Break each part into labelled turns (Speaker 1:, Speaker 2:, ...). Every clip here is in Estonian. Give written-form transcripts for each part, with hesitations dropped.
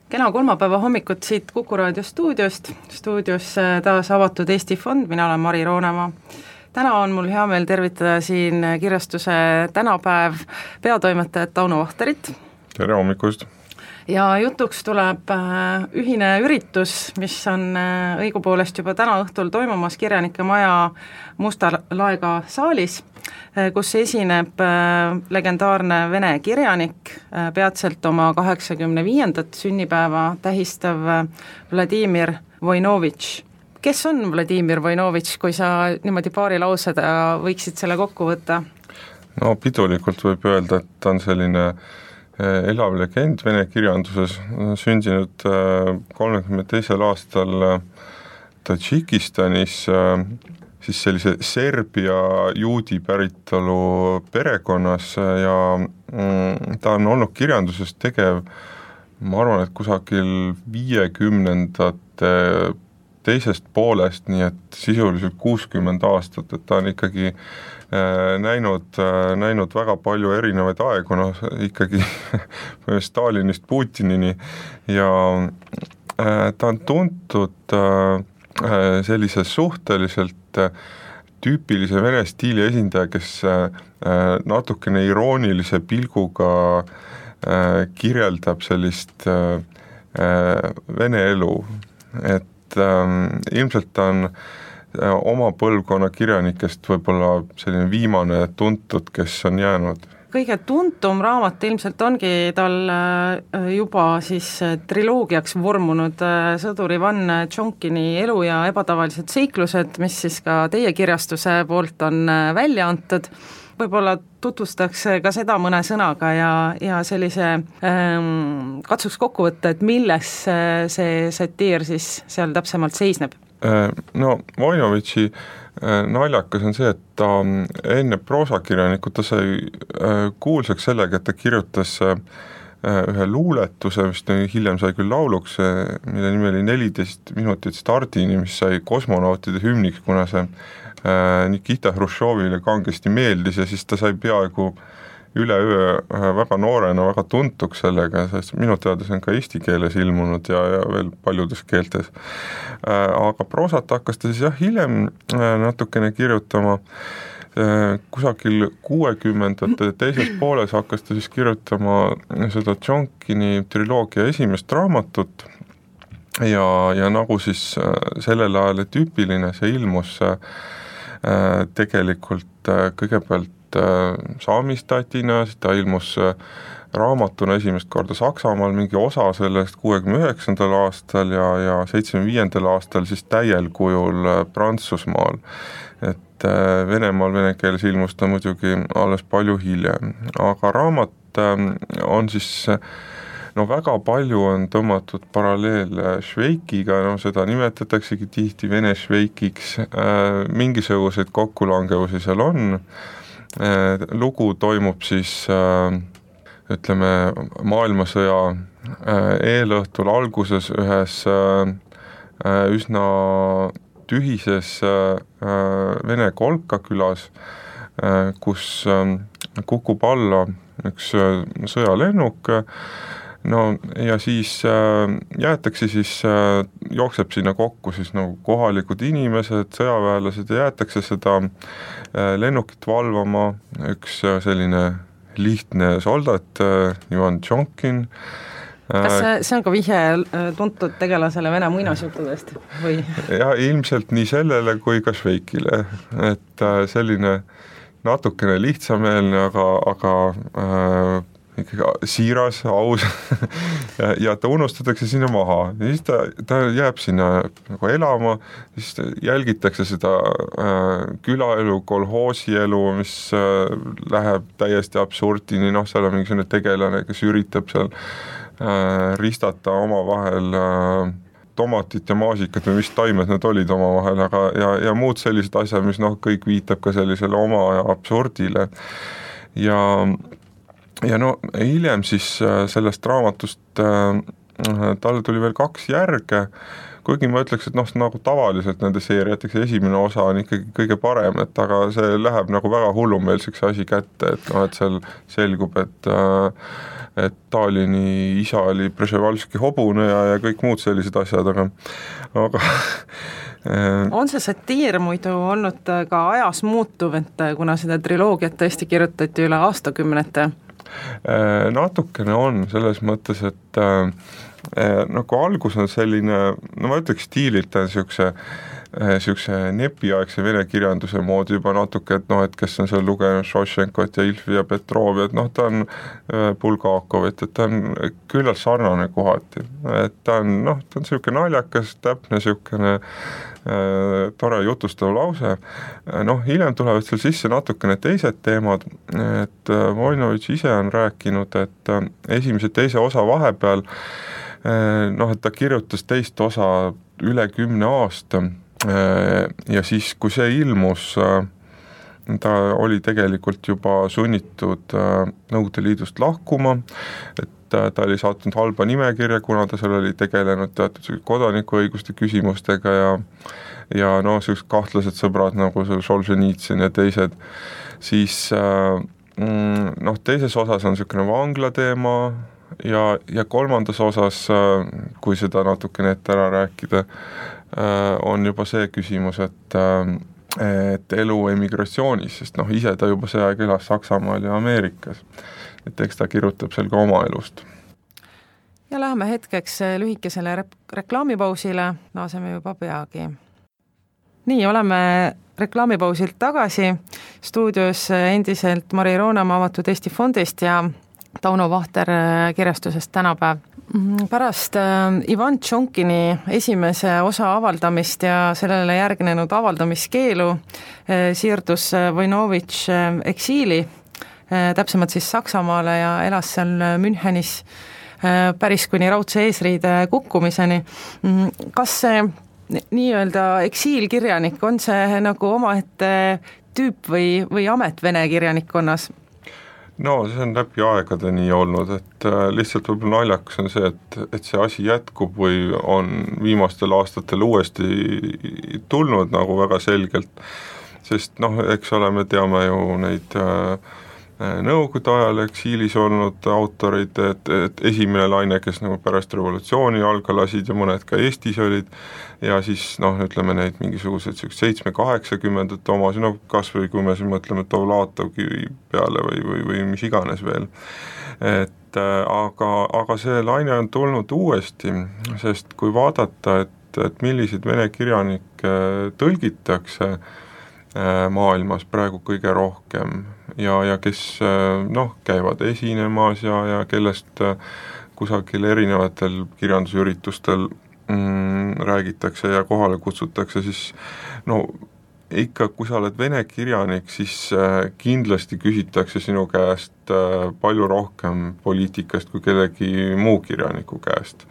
Speaker 1: Kena kolmapäeva hommikut siit Kuku Raadio stuudios taas avatud Eesti Fond, mina olen Mari Roonemaa. Täna on mul hea meel tervitada siin kirjastuse Tänapäev peatoimetajat Tauno Vahterit.
Speaker 2: Tere hommikust!
Speaker 1: Ja jutuks tuleb ühine üritus, mis on õigupoolest juba täna õhtul toimumas Kirjanike Maja Musta Laega saalis, kus esineb legendaarne vene kirjanik, peatselt oma 85. sünnipäeva tähistav Vladimir Voinovitš. Kes on Vladimir Voinovitš, kui sa niimoodi paari lauseda võiksid selle kokku võtta?
Speaker 2: No pidulikult võib öelda, et ta on selline elav legend vene kirjanduses, sündinud 32. aastal Tadžikistanis, siis sellise Serbia juudi päritolu perekonnas ja ta on olnud kirjanduses tegev, ma arvan, et kusagil 50. teisest poolest, nii et sisuliselt 60 aastat, et ta on ikkagi näinud väga palju erinevaid aegu, ikkagi Stalinist Putinini ja ta on tuntud sellise suhteliselt tüüpilise vene stiili esindaja, kes natukene iroonilise pilguga kirjeldab sellist vene elu, et ilmselt ta on oma põlvkonna kirjanikest võib-olla selline viimane tuntud, kes on jäänud.
Speaker 1: Kõige tuntum raamat ilmselt ongi tal juba siis triloogiaks vormunud sõdur Ivan Tšonkini elu ja ebatavalised seiklused, mis siis ka teie kirjastuse poolt on välja antud. Võib-olla tutvustaks ka seda mõne sõnaga ja sellise katsuks kokku võtta, et milles see satiir siis seal täpsemalt seisneb?
Speaker 2: No Voinovitši naljakas on see, et ta enne proosakirjanikut ta sai kuulsaks sellega, et ta kirjutas ühe luuletuse, mis hiljem sai küll lauluks, mille nimi oli 14 minutit stardini, mis sai kosmonautide hümniks, kuna see Nikita Hruštšovile kangesti meeldis ja siis ta sai peaaegu üleöö väga noorena väga tuntuks sellega, sest minu teada see on ka eesti keeles ilmunud ja veel paljudes keeltes. Aga proosat hakkas ta siis hiljem natukene kirjutama, kusagil 60. teises pooles hakkas ta siis kirjutama seda Tšonkini triloogia esimest raamatut ja nagu siis sellel ajal tüüpiline see ilmus tegelikult kõigepealt saamistatina, siis ta ilmus raamatuna esimest korda Saksamaal, mingi osa sellest 69. aastal ja 75. aastal siis täiel kujul Prantsusmaal. Et Venemaal vene keeles ilmus ta muidugi alles palju hiljem, aga raamat on siis väga palju on tõmmatud paralleel Šveikiga, seda nimetataksegi tihti vene Šveikiks, mingisuguseid kokkulangevusi seal on. Lugu toimub siis ütleme maailmasõja eelõhtul alguses ühes üsna tühises vene kolkakülas, kus kukub alla üks sõjalennuk, ja siis jäetakse jookseb sinna kokku siis kohalikud inimesed, sõjaväelased ja jäetakse seda lennukit valvama üks selline lihtne soldat, Ivan Tšonkin.
Speaker 1: Kas see on ka vihje tuntud tegelasele vene muinasjuttudest? Või?
Speaker 2: Ja ilmselt nii sellele kui ka Šveikile, et selline natukene lihtsameelne, aga ikkagi siiras, aus ja ta unustatakse sinna maha ja siis ta jääb sinna nagu elama, siis jälgitakse seda külaelu, kolhoosielu, mis läheb täiesti absurdini, seal on mingi selline tegelane, kes üritab seal ristata omavahel tomatit ja maasikat või mis taimed need olid omavahel, aga ja muud sellised asjad, mis kõik viitab ka sellisele oma absurdile ja hiljem siis sellest raamatust talle tuli veel 2 järge, kuigi ma ütleks, et noh, nagu tavaliselt nende seeriateks esimene osa on ikkagi kõige parem, et aga see läheb nagu väga hullumeelseks asi kätte, et noh, et seal selgub, et Stalini isa oli Brežnevalski hobune ja kõik muud sellised asjad, aga
Speaker 1: on see satiir muidu olnud ka ajas muutuv, et kuna seda triloogiat tõesti kirjutati üle aastakümnete?
Speaker 2: Natukene on, selles mõttes, et nagu algus on selline, no ma ütleks stiililt on niisuguse nepiaegse vene kirjanduse moodi juba natuke, et noh, et kes on seal lugenud Šošenkot ja Ilfi ja Petrovi, et noh, ta on Bulgakovit, et ta on küllalt sarnane kohati, et ta on niisugune naljakas, täpne niisugune tore jutustav lause, noh, hiljem tulevad seal sisse natukene teised teemad, et Voinovitš ise on rääkinud, et esimese teise osa vahepeal noh, et ta kirjutas teist osa üle 10 aasta ja siis, kui see ilmus, ta oli tegelikult juba sunnitud Nõukogude Liidust lahkuma, et ta oli saatnud halba nimekirja, kuna ta seal oli tegelenud teatud kodanikuõiguste küsimustega ja noh, sellised kahtlased sõbrad nagu Solženitsyn ja teised, siis noh, teises osas on niisugune vangla teema ja kolmandas osas, kui seda natukene ette ära rääkida, on juba see küsimus, et elu emigratsioonis, sest noh, ise ta juba see aeg elas Saksamaal ja Ameerikas, et eks ta kirjutab seal ka oma elust.
Speaker 1: Ja läheme hetkeks lühikesele reklaamipausile, naaseme juba peagi. Nii, oleme reklaamipausilt tagasi, stuudios endiselt Mari Roonemaa Avatud Eesti Fondist ja Tauno Vahter kirjastusest Tänapäev. Pärast Ivan Tšonkini esimese osa avaldamist ja sellele järgnenud avaldamiskeelu siirdus Voinovitš eksiili, täpsemalt siis Saksamaale ja elas seal Münchenis päris kuni raudse eesriide kukkumiseni. Kas see nii-öelda eksiilkirjanik on see nagu omaette tüüp või amet vene kirjanikkonnas?
Speaker 2: No see on läbi aegade nii olnud, et lihtsalt võib-olla naljakas on see, et see asi jätkub või on viimastel aastatel uuesti tulnud nagu väga selgelt, sest noh, eks ole, me teame ju neid Nõukogude ajal eksiilis olnud autorid, et esimene laine, kes nagu pärast revolutsiooni jalga lasid ja mõned ka Eestis olid ja siis noh, ütleme neid mingisugused 7-80 omasi, no kas või kui me siin mõtleme Dovlatovki peale või mis iganes veel, et aga see laine on tulnud uuesti, sest kui vaadata, et milliseid vene kirjanikke tõlgitakse maailmas praegu kõige rohkem ja kes noh, käivad esinemas ja kellest kusagil erinevatel kirjandusüritustel räägitakse ja kohale kutsutakse, siis no ikka, kui sa oled vene kirjanik, siis kindlasti küsitakse sinu käest palju rohkem poliitikast kui kellegi muu kirjaniku käest.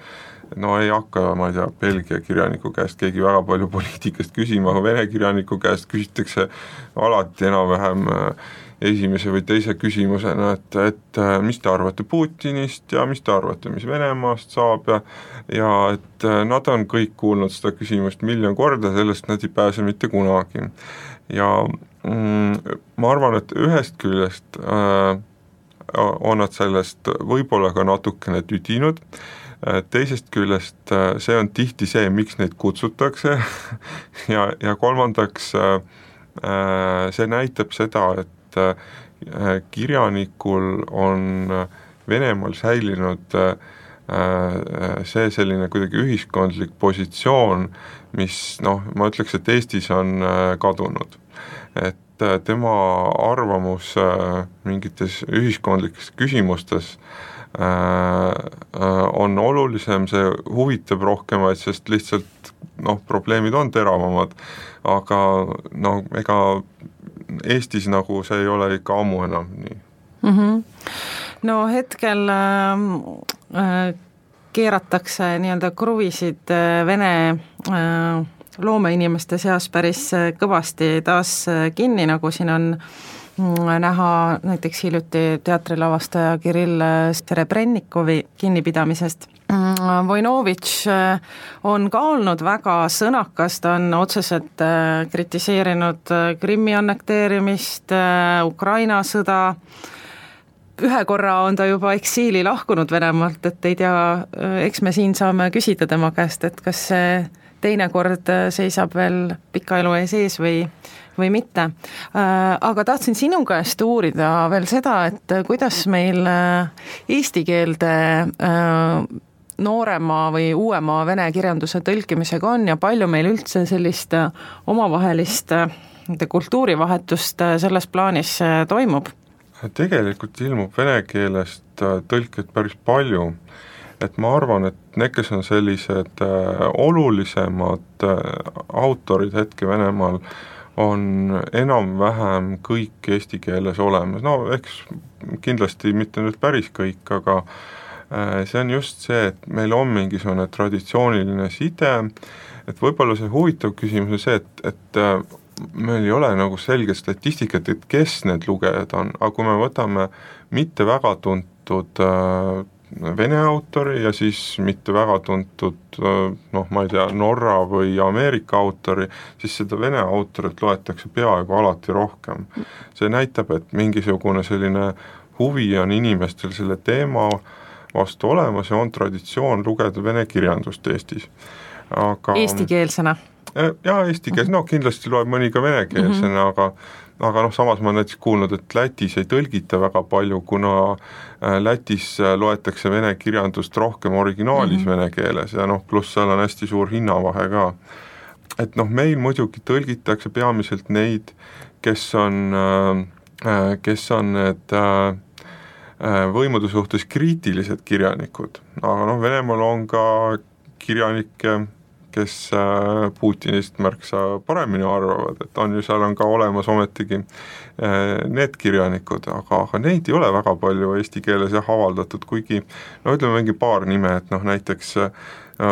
Speaker 2: No ei hakka, ma ei tea, Belgia kirjaniku käest keegi väga palju poliitikast küsima, aga vene kirjaniku käest küsitakse alati enam-vähem esimese või teise küsimusena, et mis te arvate Putinist ja mis te arvate, mis Venemaast saab ja et nad on kõik kuulnud seda küsimust 1 000 000 korda, sellest nad ei pääse mitte kunagi. Ja ma arvan, et ühest küljest on nad sellest võib-olla ka natukene tüdinud, teisest küljest see on tihti see, miks neid kutsutakse ja kolmandaks see näitab seda, et kirjanikul on Venemaal säilinud see selline kuidagi ühiskondlik positsioon, mis noh, ma ütleks, et Eestis on kadunud. Et tema arvamus mingites ühiskondlikes küsimustes on olulisem, see huvitab rohkemaid, sest lihtsalt noh, probleemid on teravamad, aga noh, ega Eestis nagu see ei ole ikka ammu enam nii.
Speaker 1: No hetkel keeratakse nii-öelda kruvisid Vene loomeinimeste seas päris kõvasti taas kinni, nagu siin on näha näiteks hiljuti teatrilavastaja Kirill Serebrennikovi kinnipidamisest. Vojnovitš on ka olnud väga sõnakas, ta on otseselt kritiseerinud Krimmi annekteerimist, Ukraina sõda, ühe korra on ta juba eksiili lahkunud Venemaalt, et ei tea, eks me siin saame küsida tema käest, et kas see teine kord seisab veel pika elu ees või mitte. Aga tahtsin sinu käest uurida veel seda, et kuidas meil eesti keelde noorema või uuema vene kirjanduse tõlkimisega on ja palju meil üldse sellist omavahelist kultuurivahetust selles plaanis toimub?
Speaker 2: Tegelikult ilmub vene keelest tõlked päris palju, et ma arvan, et need, kes on sellised olulisemad autorid hetke Venemaal, on enam-vähem kõik eesti keeles olemas, no eks kindlasti mitte nüüd päris kõik, aga see on just see, et meil on mingisugune traditsiooniline side, et võib-olla see huvitav küsimus on see, et meil ei ole nagu selget statistikat, et kes need lugejad on, aga kui me võtame mitte väga tuntud vene autori ja siis mitte väga tuntud, ma ei tea, Norra või Ameerika autori, siis seda vene autorit loetakse peaaegu alati rohkem. See näitab, et mingisugune selline huvi on inimestel selle teema vastu olemas ja on traditsioon lugeda vene kirjandust Eestis. Aga
Speaker 1: eestikeelsena?
Speaker 2: Jaa, eestikeelsena, no kindlasti loeb mõni ka venekeelsena, aga samas ma olen näiteks kuulnud, et Lätis ei tõlgita väga palju, kuna Lätis loetakse vene kirjandust rohkem originaalis vene keeles ja pluss seal on hästi suur hinnavahe ka. Et meil muidugi tõlgitakse peamiselt neid, kes on need võimude suhtes kriitilised kirjanikud, aga Venemaal on ka kirjanikke, kes Putinist märksa paremini arvavad, et seal on ka olemas ometigi need kirjanikud, aga neid ei ole väga palju eesti keeles avaldatud, kuigi ütleme mingi paar nime, et näiteks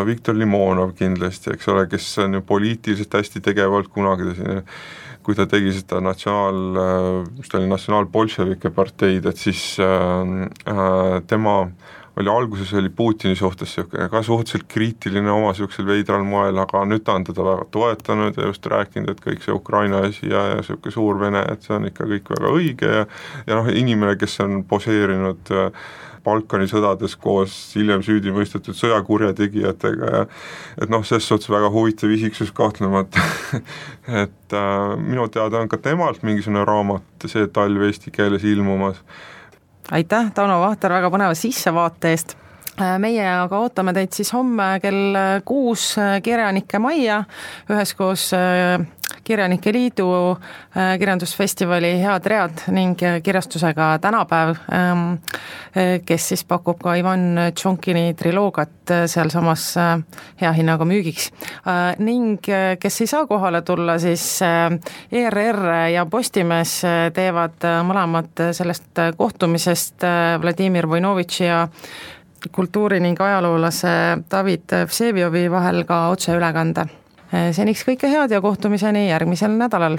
Speaker 2: Viktor Limonov kindlasti, eks ole, kes on ju poliitiliselt hästi tegevalt kunagi kui ta tegi seda natsionaalbolševike parteid, et siis tema alguses oli Putini suhtes ka suhteliselt kriitiline oma sellisel veidral moel, aga nüüd ta on teda väga toetanud ja just rääkinud, et kõik see Ukraina asi ja selline suur Vene, et see on ikka kõik väga õige ja inimene, kes on poseerinud Balkani sõdades koos hiljem süüdi mõistetud sõjakurjategijatega ja et selles suhtes väga huvitav isiksus kahtlemata et minu teada on ka temalt mingisugune raamat see talv eesti keeles ilmumas.
Speaker 1: Aitäh, Tauno Vahter, väga põneva sissevaate eest. Meie aga ootame teid siis homme kell 6 Kirjanike majja, üheskoos Kirjanike Liidu kirjandusfestivali Head read ning kirjastusega Tänapäev, kes siis pakub ka Ivan Tšonkini triloogiat sealsamas hea hinnaga müügiks. Ning kes ei saa kohale tulla, siis ERR ja Postimees teevad mõlemad sellest kohtumisest Vladimir Vojnovitši ja kultuuri- ning ajaloolase David Vseviovi vahel ka otseülekande. Seniks kõike head ja kohtumiseni järgmisel nädalal!